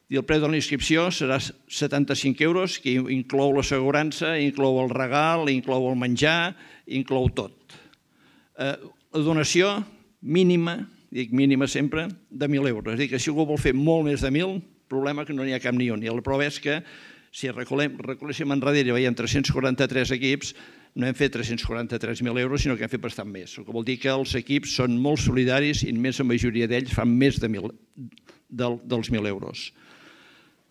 I el preu de la inscripció serà 75 euros, que inclou l'assegurança, inclou el regal, inclou el menjar, inclou tot. La donació mínima, dic mínima sempre, de 1.000 euros. És a dir, que si algú vol fer molt més de 1.000, problema que no n'hi ha cap ni un. I la prova és que si recoléssim enrere i veiem 343 equips, no hem fet 343.000 euros, sinó que hem fet bastant més. El que vol dir que els equips són molt solidaris i la majoria d'ells fan més dels 1.000 euros.